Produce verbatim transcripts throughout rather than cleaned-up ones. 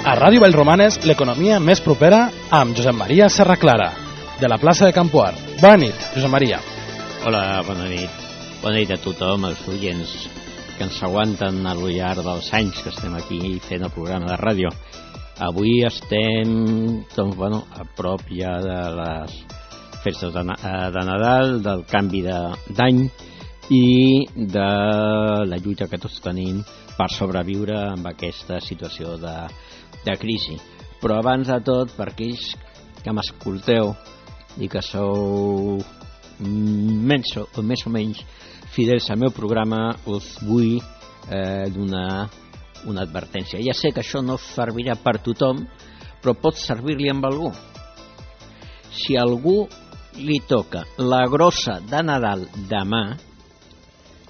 A Ràdio Vallromanes, l'economia més propera amb Josep Maria Serraclara, de la plaça de Campoar. Bona nit, Josep Maria. Hola, bona nit. Bona nit a tothom, els oients que ens aguanten al llarg dels anys que estem aquí fent el programa de ràdio. Avui estem doncs, bueno, a prop ja de les festes de, de Nadal, del canvi d'any i de la lluita que tots tenim per sobreviure amb aquesta situació de, de crisi. Però abans de tot, per aquells que m'escolteu i que sou menys o, més o menys fidels al meu programa, us vull eh, donar una advertència. Ja sé que això no servirà per tothom, però pot servir-li amb algú. Si a algú li toca la grossa de Nadal demà,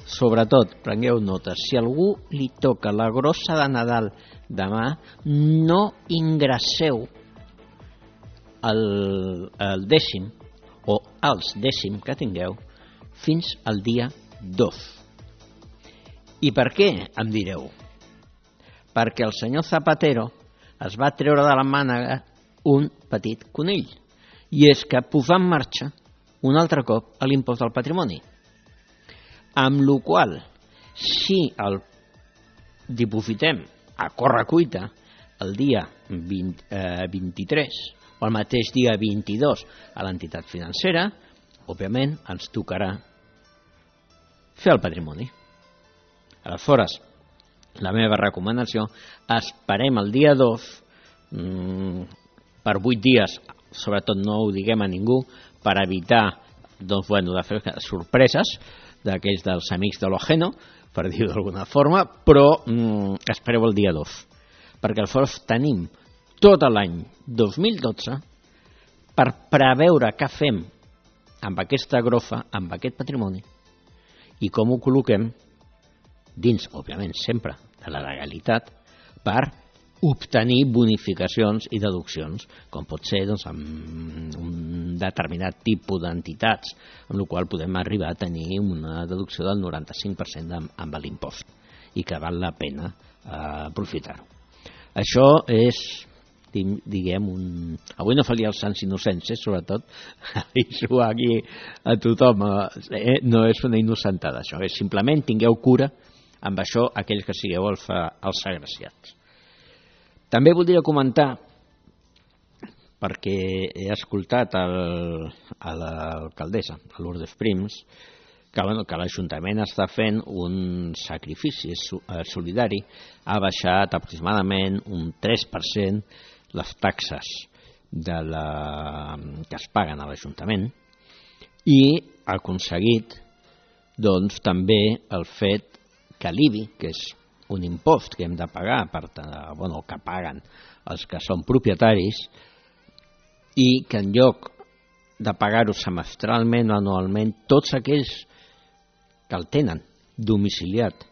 sobretot, prengueu nota, si a algú li toca la grossa de Nadal demà, no ingresseu el, el dècim o els dècim que tingueu fins al dia dos. I per què, em direu? Perquè el senyor Zapatero es va treure de la mànega un petit conill, i és que posar en marxa un altre cop a l'impost del patrimoni. Amb la qual cosa, si el dipositem a correcuita el dia vint, eh, vint-i-tres o el mateix dia vint-i-dos a l'entitat financera, òbviament ens tocarà fer el patrimoni. Aleshores, la meva recomanació, esperem el dia dos, mmm, per vuit dies, sobretot no ho diguem a ningú, per evitar doncs, bueno, de fer sorpreses d'aquells dels amics de l'Ojeno, per dir-ho d'alguna forma, però mmm, espereu el dia dos, perquè aleshores tenim tot l'any dos mil dotze per preveure què fem amb aquesta grofa, amb aquest patrimoni, i com ho col·loquem dins, òbviament, sempre de la legalitat, per obtenir bonificacions i deduccions, com pot ser doncs, amb un determinat tipus d'entitats, amb la qual podem arribar a tenir una deducció del noranta-cinc per cent amb, amb l'impost, i que val la pena eh, aprofitar-ho. Això és, diguem, un... avui no faria els sants innocents, eh, sobretot, aviso aquí a tothom, eh, no és una innocentada, això, és simplement tingueu cura amb això aquells que sigueu els, els agraciats. També voldria comentar, perquè he escoltat el, a l'alcaldessa, a Lourdes Prims, que, bueno, que l'Ajuntament està fent un sacrifici solidari, ha baixat aproximadament un tres per cent les taxes de la, que es paguen a l'Ajuntament, i ha aconseguit doncs, també el fet que l'I B I, que és un impost que hem de pagar, per, bueno, que paguen els que són propietaris, i que en lloc de pagar-ho semestralment o anualment, tots aquells que el tenen domiciliat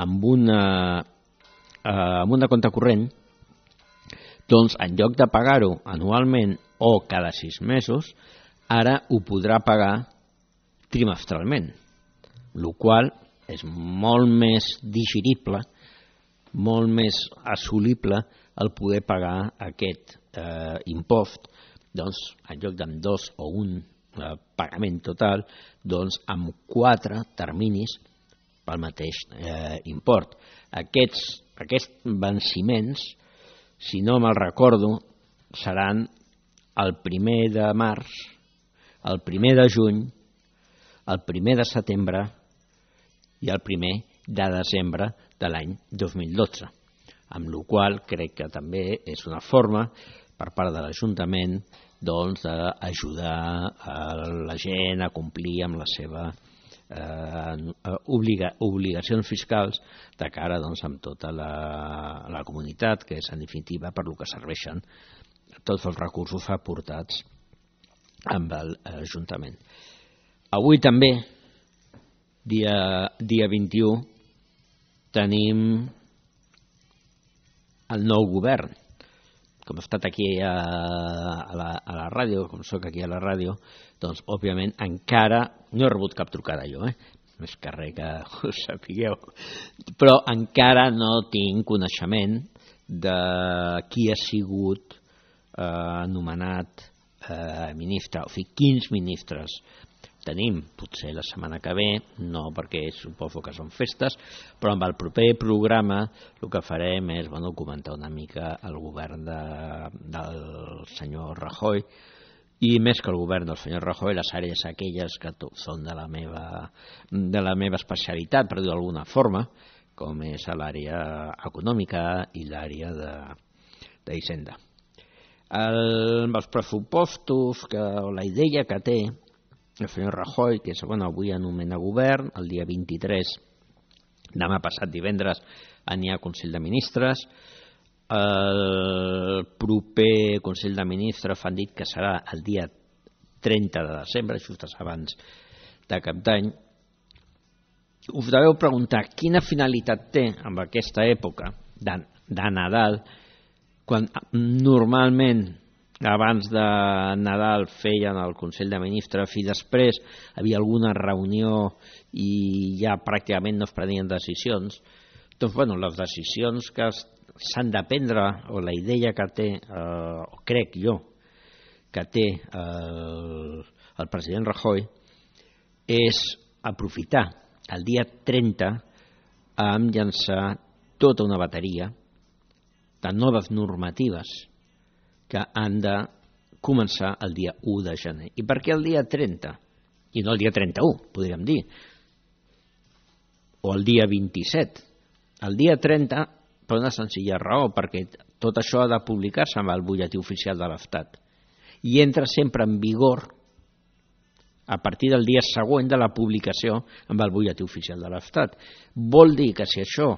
amb una, eh, amb una compte corrent, doncs en lloc de pagar-ho anualment o cada sis mesos, ara ho podrà pagar trimestralment, el qual és molt més digerible, molt més assolible el poder pagar aquest eh, impost, doncs, en lloc d'en dos o un eh, pagament total, doncs amb quatre terminis pel mateix eh, import. Aquests, aquests venciments, si no me'l recordo, seran el primer de març, el primer de juny, el primer de setembre i el primer de desembre de l'any dos mil dotze, amb la qual crec que també és una forma per part de l'Ajuntament doncs, d'ajudar a la gent a complir amb les seves eh, obliga, obligacions fiscals de cara doncs, amb tota la, la comunitat, que és en definitiva per lo que serveixen tots els recursos aportats amb l'Ajuntament. Avui també, dia, dia vint-i-u, tenim el nou govern. Com he estat aquí a, a, la, a la ràdio, com soc aquí a la ràdio, doncs, òbviament, encara no he rebut cap trucada jo, eh? Més que res que ho sapigueu, però encara no tinc coneixement de qui ha sigut eh, anomenat eh, ministre, o sigui, quins ministres tenim, potser la setmana que ve, no perquè suposo que són festes, però amb el proper programa el que farem és bueno, comentar una mica el govern de, del senyor Rajoy, i més que el govern del senyor Rajoy, les àrees aquelles que són de la meva, de la meva especialitat, per dir d'alguna forma, com és l'àrea econòmica i l'àrea d'Hisenda. El, els pressupostos, que, o la idea que té el senyor Rajoy, que és, bueno, avui anomena govern, el dia vint-i-tres, demà passat divendres, n'hi ha Consell de Ministres. El proper Consell de Ministres han dit que serà el dia trenta de desembre, just abans de Cap d'Any. Us deveu preguntar quina finalitat té amb aquesta època de, de Nadal, quan normalment abans de Nadal feien el Consell de Ministres i després hi havia alguna reunió i ja pràcticament no es prenien decisions. Doncs, bueno, les decisions que s'han de prendre, o la idea que té, eh, o crec jo, que té el, el president Rajoy, és aprofitar el dia trenta amb llançar tota una bateria de noves normatives que han de començar el dia u de gener. I per què el dia trenta? I no el dia trenta-u, podríem dir. O el dia vint-i-set. El dia trenta, per una senzilla raó, perquè tot això ha de publicar-se amb el butlletí oficial de l'Estat. I entra sempre en vigor a partir del dia següent de la publicació amb el butlletí oficial de l'Estat. Vol dir que si això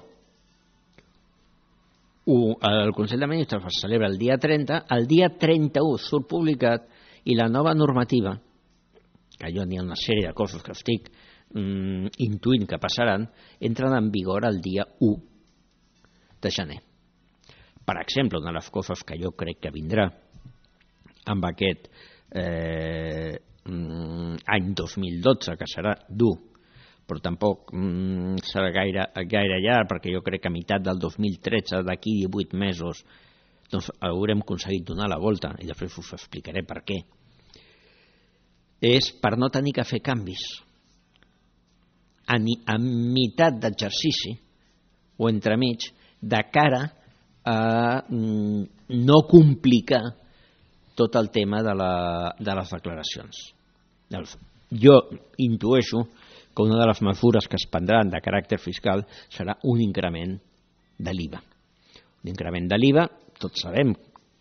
el Consell de Ministres es celebra el dia trenta, el dia trenta-u surt publicat i la nova normativa, que jo n'hi ha una sèrie de coses que estic mm, intuint que passaran, entren en vigor el dia u de gener. Per exemple, una de les coses que jo crec que vindrà amb aquest eh, any dos mil dotze, que serà dur, però tampoc mm, serà gaire, gaire llarg, perquè jo crec que a meitat del dos mil tretze, d'aquí divuit mesos, doncs haurem aconseguit donar la volta, i després us explicaré per què. És per no tenir que fer canvis a, ni, a meitat d'exercici o entremig, de cara a mm, no complicar tot el tema de, la, de les declaracions. Jo intueixo que una de les mesures que es prendran de caràcter fiscal serà un increment de l'I V A. Un increment de l'I V A, tots sabem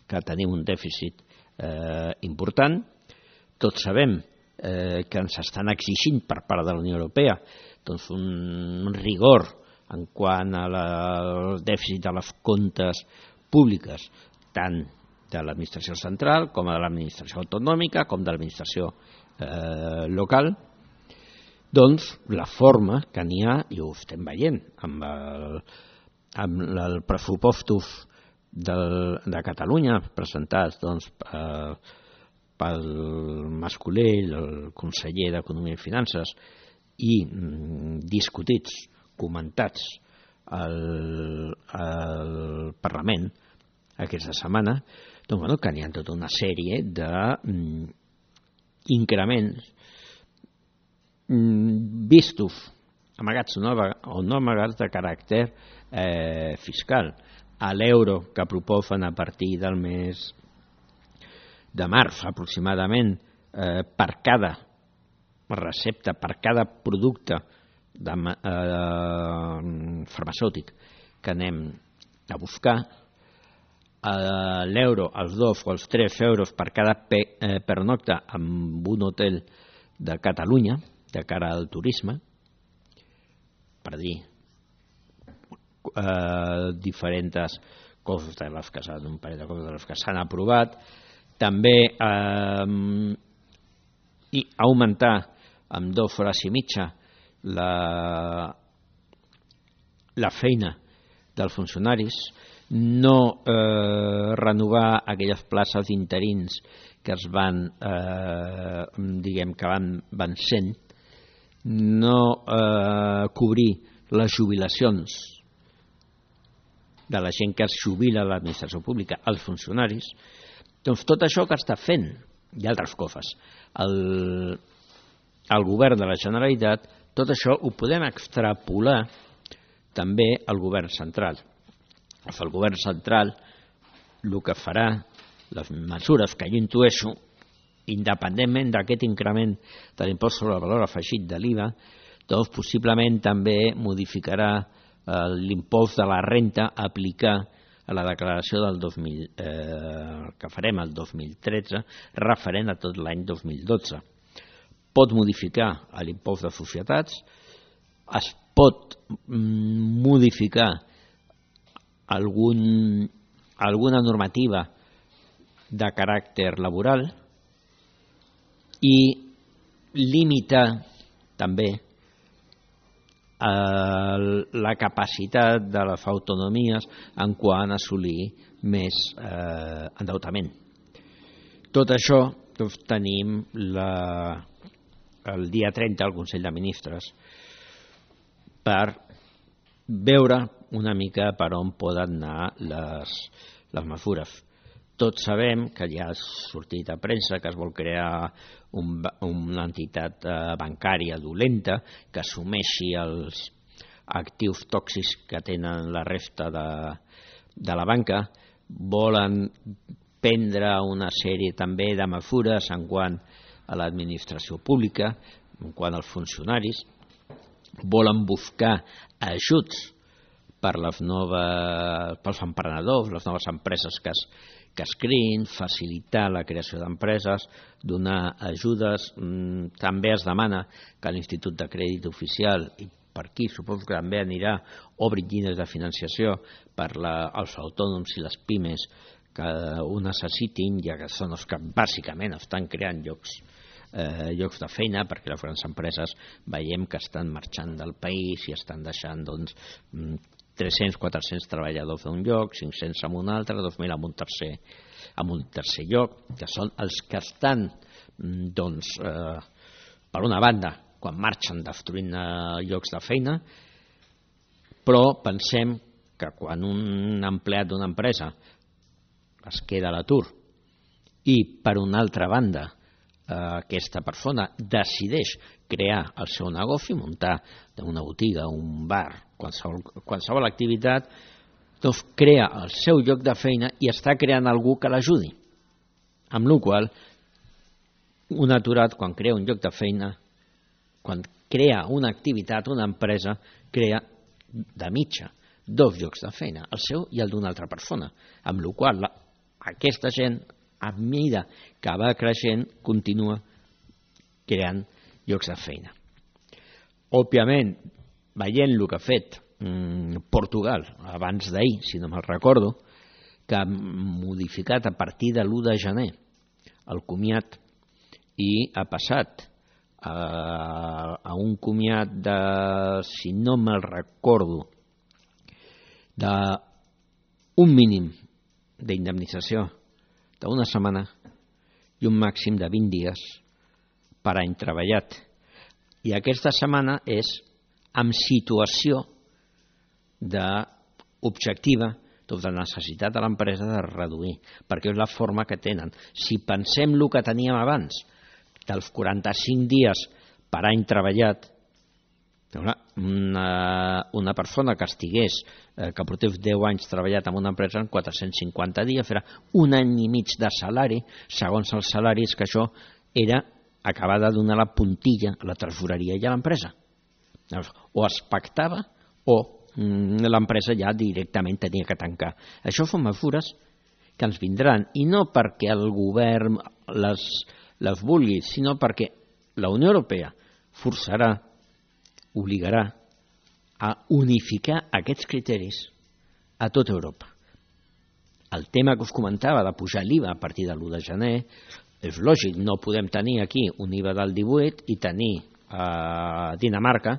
que tenim un dèficit eh, important, tots sabem eh, que ens estan exigint per part de la Unió Europea doncs un, un rigor en quant a la, al dèficit de les comptes públiques, tant de l'administració central com de l'administració autonòmica com de l'administració eh, local. Doncs la forma que n'hi ha, i ho estem veient amb el, amb el pressupostos del, de Catalunya presentats doncs, eh, pel Mas-Colell, el conseller d'Economia i Finances, i mm, discutits, comentats al, al Parlament aquesta setmana, doncs, bueno, que n'hi ha tota una sèrie d'increments vistos, amagats o no, o no amagats de caràcter eh, fiscal. A l'euro que proposen a partir del mes de març aproximadament eh, per cada recepta, per cada producte de, eh, farmacèutic que anem a buscar, eh, l'euro, els dos o els tres euros per cada pe, eh, pernocte en un hotel de Catalunya, de cara al turisme, per dir eh, diferents coses de les que s'han, un parell de coses de les que s'han aprovat, també eh, i augmentar amb dues hores i mitja la, la feina dels funcionaris, no eh, renovar aquelles places d'interins que es van, eh, diguem que van vencent, no eh, cobrir les jubilacions de la gent que es jubila a l'administració pública, els funcionaris. Doncs tot això que està fent, i altres coses, el, el govern de la Generalitat, tot això ho podem extrapolar també al govern central. El govern central el que farà, les mesures que jo intueixo, independentment d'aquest increment de l'impost sobre el valor afegit de l'I V A, doncs possiblement també modificarà eh, l'impost de la renta a aplicar a la declaració del dos mil, eh, que farem el dos mil tretze, referent a tot l'any dos mil dotze. Pot modificar l'impost de societats, es pot modificar algun, alguna normativa de caràcter laboral i limitar també la capacitat de les autonomies en quant a assolir més eh, endeutament. Tot això doncs, tenim la, el dia trenta al Consell de Ministres per veure una mica per on poden anar les, les mesures. Tots sabem que ja ha sortit a premsa que es vol crear un, una entitat eh, bancària dolenta que assumeixi els actius tòxics que tenen la resta de, de la banca. Volen prendre una sèrie també de mesures en quant a l'administració pública, en quant als funcionaris. Volen buscar ajuts per les noves, pels emprenedors, les noves empreses que es que es creïn, facilitar la creació d'empreses, donar ajudes. També es demana que l'Institut de Crèdit Oficial, i per aquí suposo que també anirà, obri llines de financiació per la, els autònoms i les pimes que ho necessitin, ja que són els que bàsicament estan creant llocs, eh, llocs de feina, perquè les grans empreses veiem que estan marxant del país i estan deixant doncs, tres-cents a quatre-cents treballadors d'un lloc, cinc-cents en un altre, dos mil en un tercer, en un tercer lloc, que són els que estan, doncs, eh, per una banda, quan marxen destruint eh, llocs de feina, però pensem que quan un empleat d'una empresa es queda a l'atur i, per una altra banda, eh, aquesta persona decideix crear el seu negoci, muntar una botiga, un bar, qualsevol, qualsevol activitat, doncs crea el seu lloc de feina i està creant algú que l'ajudi. Amb la qual cosa, un aturat, quan crea un lloc de feina, quan crea una activitat, una empresa, crea de mitja dos llocs de feina, el seu i el d'una altra persona. Amb la qual cosa, aquesta gent, a mesura que va creixent, continua creant llocs de feina. Òbviament, veient el que ha fet mm, Portugal abans d'ahir, si no me'n recordo, que ha modificat a partir de l'u de gener el comiat i ha passat a, a un comiat de, si no me'n recordo, d'un mínim d'indemnització d'una setmana i un màxim de vint dies per any treballat. I aquesta setmana és amb situació objectiva de necessitat de l'empresa de reduir, perquè és la forma que tenen. Si pensem el que teníem abans, dels quaranta-cinc dies per any treballat, una, una persona que estigués, eh, que portés deu anys treballat en una empresa en quatre-cents cinquanta dies, farà un any i mig de salari, segons els salaris, que això era acabar de donar la puntilla a la tresoreria i a l'empresa. O es pactava o mm, l'empresa ja directament tenia que tancar. Això són mesures que ens vindran, i no perquè el govern les, les vulgui, sinó perquè la Unió Europea forçarà, obligarà a unificar aquests criteris a tota Europa. El tema que us comentava de pujar l'I V A a partir de l'u de gener és lògic, no podem tenir aquí un I V A del divuit i tenir a Dinamarca,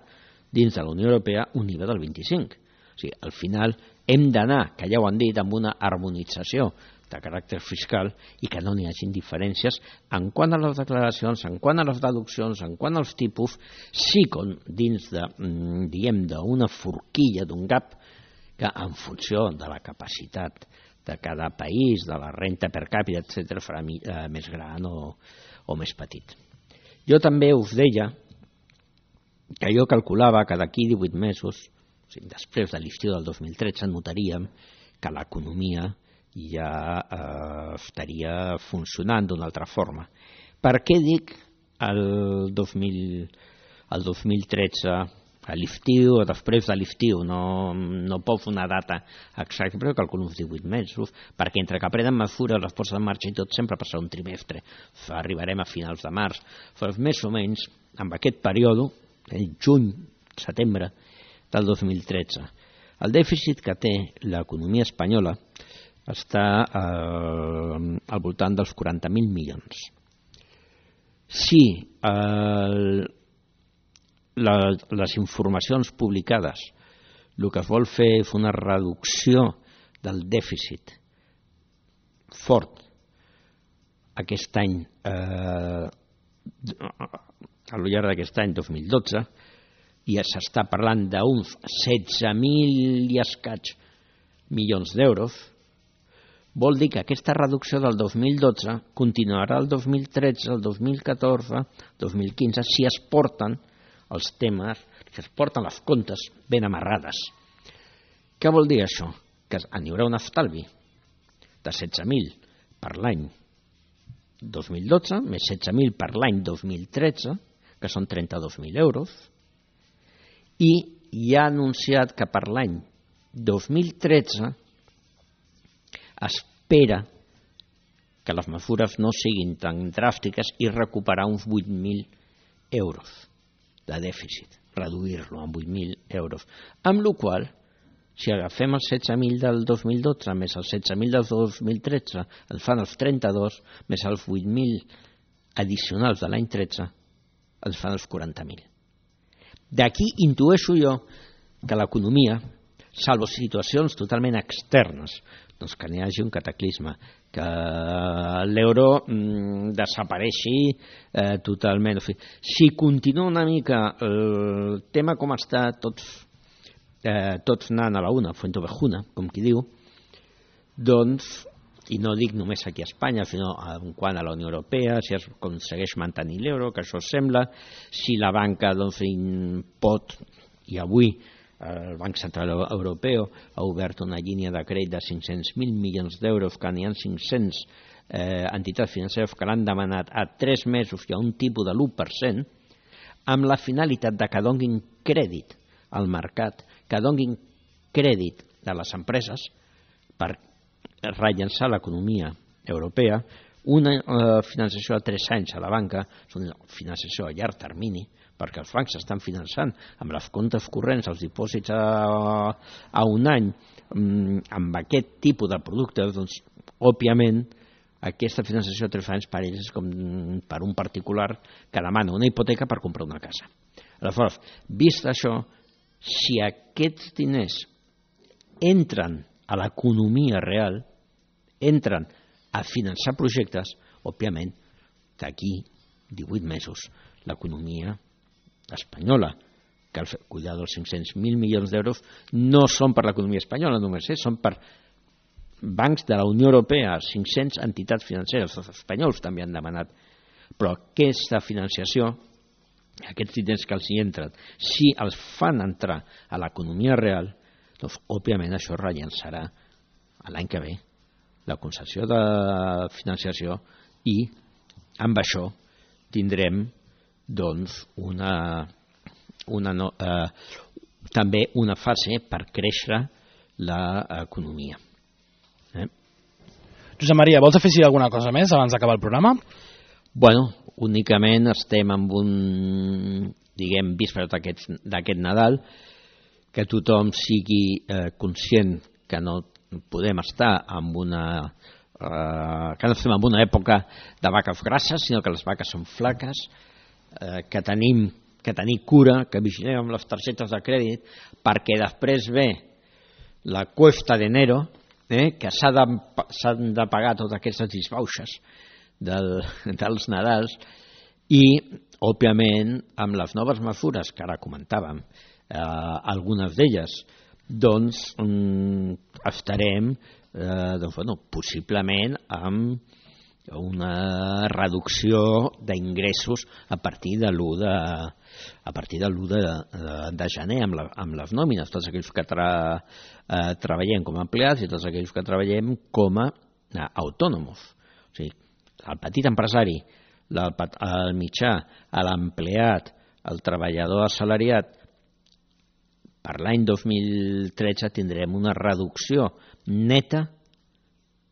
dins de la Unió Europea, un I V A del vint-i-cinc. O sigui, al final hem d'anar, que ja ho han dit, amb una harmonització de caràcter fiscal i que no n'hi hagin diferències en quant a les declaracions, en quant a les deduccions, en quant als tipus, sí com dins de, diguem, d'una forquilla, d'un gap que en funció de la capacitat de cada país, de la renta per càpita, etcètera, farà més gran o, o més petit. Jo també us deia que jo calculava que d'aquí divuit mesos, o sigui, després de l'estiu del dos mil tretze, notaríem que l'economia ja eh, estaria funcionant d'una altra forma. Per què dic el dos mil, el dos mil tretze, a l'estiu o després de l'estiu? No, no pot fer una data exacta, però calculo uns divuit mesos, perquè entre que prenen mesures, les posen en marxa i tot, sempre passarà un trimestre. Arribarem a finals de març. Però més o menys, en aquest període, el juny, setembre del dos mil tretze, el dèficit que té l'economia espanyola està eh, al voltant dels quaranta mil milions. Si eh, la, les informacions publicades el que es vol fer és una reducció del dèficit fort aquest any, eh, a lo llarg d'aquest any dos mil dotze, i s'està parlant d'uns setze mil i escaig milions d'euros, vol dir que aquesta reducció del dos mil dotze continuarà el dos mil tretze, el dos mil catorze, dos mil quinze, si es porten els temes, si es porten les comptes ben amarrades. Què vol dir això? Que n'hi haurà un estalvi de setze mil per l'any dos mil dotze, més setze mil per l'any dos mil tretze, que són trenta-dos mil euros, i ja ha anunciat que per l'any dos mil tretze espera que les mesures no siguin tan dràstiques i recuperar uns vuit mil euros de dèficit, reduir-lo en vuit mil euros. Amb la qual cosa, si agafem els setze mil del dos mil dotze més els setze mil del dos mil tretze, ens fan els trenta-dos, més els vuit mil addicionals de l'any tretze, ens fan els quaranta mil. D'aquí intueixo jo que l'economia, salvo situacions totalment externes, doncs que n'hi hagi un cataclisme, que l'euro mm, desapareixi eh, totalment. Si continua una mica el tema com està, tots, eh, tots anant a la una, fuente ovejuna, com qui diu, doncs, i no dic només aquí a Espanya, sinó en quant a la Unió Europea, si es aconsegueix mantenir l'euro, que això sembla, si la banca doncs, pot, i avui el Banc Central Europeu ha obert una línia de crèdit de cinc-cents mil milions d'euros, que n'hi ha cinc-cents eh, entitats financeres que l'han demanat a tres mesos i a un tipus de l'u per cent, amb la finalitat de que donin crèdit al mercat, que donin crèdit a les empreses per rellençar l'economia europea, una eh, financiació a tres anys a la banca, és una financiació a llarg termini, perquè els bancs estan finançant amb les comptes corrents, els dipòsits a, a un any, amb aquest tipus de productes, doncs, òbviament, aquesta financiació a tres anys per ells és com per un particular que demana una hipoteca per comprar una casa. Aleshores, vist això, si aquests diners entren a l'economia real, entren a finançar projectes, òbviament, d'aquí divuit mesos, l'economia espanyola, que al cuidar dels cinc-cents mil milions d'euros no són per l'economia espanyola només, eh? Són per bancs de la Unió Europea, cinc-cents entitats financeres, els espanyols també han demanat, però aquesta financiació, aquests diners que els hi entren, si els fan entrar a l'economia real, doncs òbviament això rellençarà l'any que ve la concessió de financiació i amb això tindrem doncs una, una no, eh, també una fase per créixer l'economia. Eh? Josep Maria, vols afegir alguna cosa més abans d'acabar el programa? Bueno, únicament estem amb un, diguem, víspera d'aquest Nadal, que tothom sigui eh, conscient que no podem estar en una eh, que no estem en una època de vaques grasses, sinó que les vaques són flaques, eh, que tenim que tenir cura, que vigilem amb les targetes de crèdit, perquè després ve la cuesta d'enero, eh, que s'ha de, s'han de pagar totes aquestes disbauxes del, dels Nadals, i òbviament amb les noves mesures que ara comentàvem, eh, algunes d'elles doncs mm, estarem eh, doncs, bueno, possiblement amb una reducció d'ingressos a partir de l'u de, a partir de l'u de, de, de gener amb, la, amb les nòmines, tots aquells que tra, eh, treballem com a empleats i tots aquells que treballem com a eh, autònoms. O sigui, el petit empresari, el, el mitjà, l'empleat, el treballador assalariat, per l'any dos mil tretze tindrem una reducció neta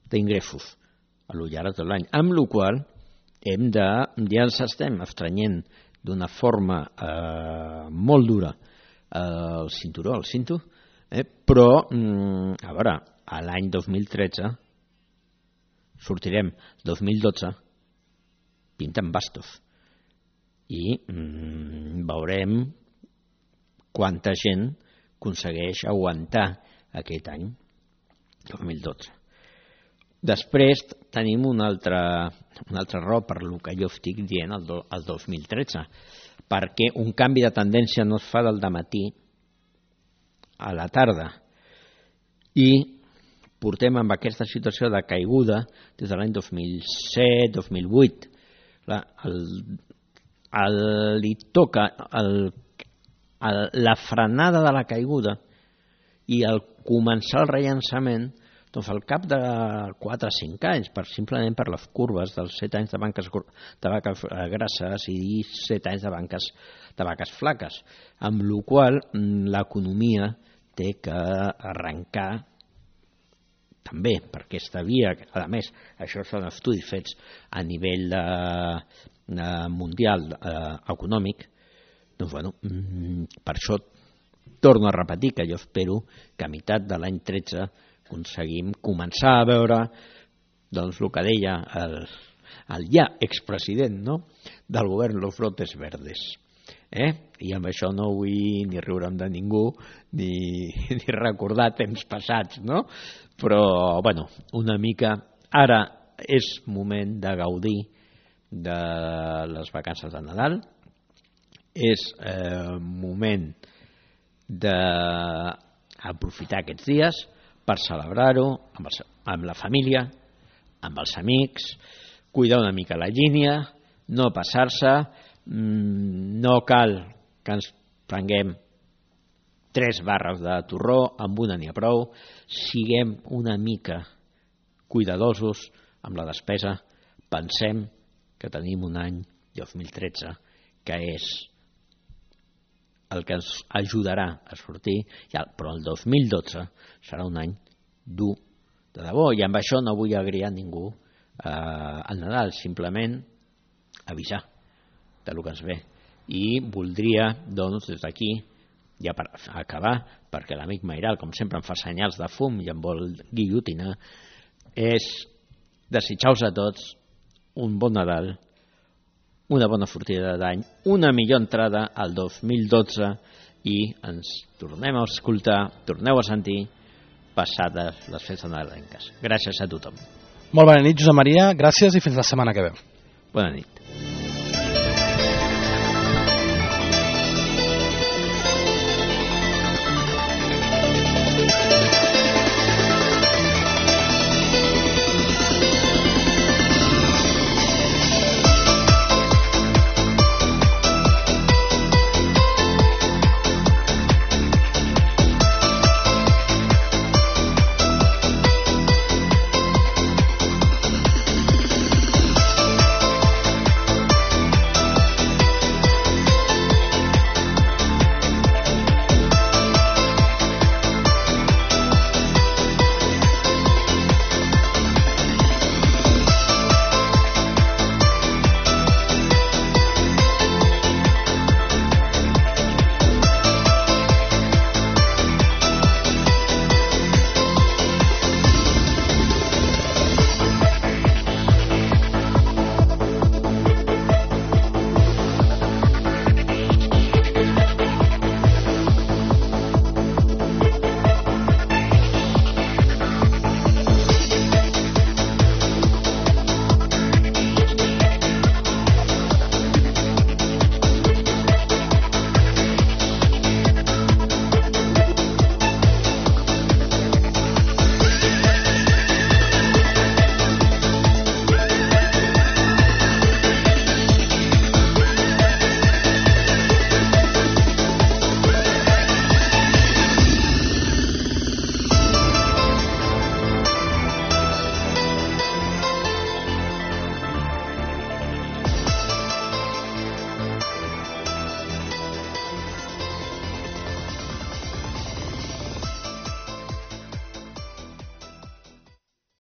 d'ingressos a lo llarg de l'any, amb la qual hem de, ja ens estem estrenyent d'una forma eh, molt dura eh, el cinturó, el cinto, eh, però mm, a veure, a l'any dos mil tretze sortirem dos mil dotze pintant bastos i mm, veurem quanta gent aconsegueix aguantar aquest any dos mil dotze. Després tenim un altre, un altre raó per el que jo estic dient el, do, el dos mil tretze, perquè un canvi de tendència no es fa del dematí a la tarda i portem amb aquesta situació de caiguda des de l'any dos mil set dos mil vuit. La, el, el, li toca el, el, la frenada de la caiguda i el començar el rellançament doncs al cap de quatre o cinc anys, per, simplement per les curves dels set anys de banques de vaques grasses i set anys de banques de vaques flaques, amb la qual l'economia té que arrencar també per aquesta via. A més, això són estudis fets a nivell de, de mundial eh, econòmic. Doncs, bueno, per això torno a repetir que jo espero que a meitat de l'any tretze aconseguim començar a veure doncs, el que deia el, el ja expresident, no?, del govern, los brotes verdes. Eh? I amb això no vull ni riure'm de ningú ni, ni recordar temps passats, no? Però, bueno, una mica ara és moment de gaudir de les vacances de Nadal, és eh, moment d'aprofitar aquests dies per celebrar-ho amb, amb la família, amb els amics, cuidar una mica la línia, no passar-se, no cal que ens prenguem tres barres de torró, amb una n'hi ha prou, siguem una mica cuidadosos amb la despesa, pensem que tenim un any dos mil tretze que és el que ens ajudarà a sortir, però el dos mil dotze serà un any dur de debò, i amb això no vull agriar ningú eh, al Nadal, simplement avisar de lo que ens ve. I voldria, doncs, des d'aquí, ja per acabar, perquè l'amic Mairal, com sempre, em fa senyals de fum i em vol guillotinar, és desitjar-vos a tots un bon Nadal, una bona sortida d'any, una millor entrada al dos mil dotze i ens tornem a escoltar, torneu a sentir passades les festes nadalenques. Gràcies a tothom. Molt bona nit, Josep Maria, gràcies i fins la setmana que ve. Bona nit.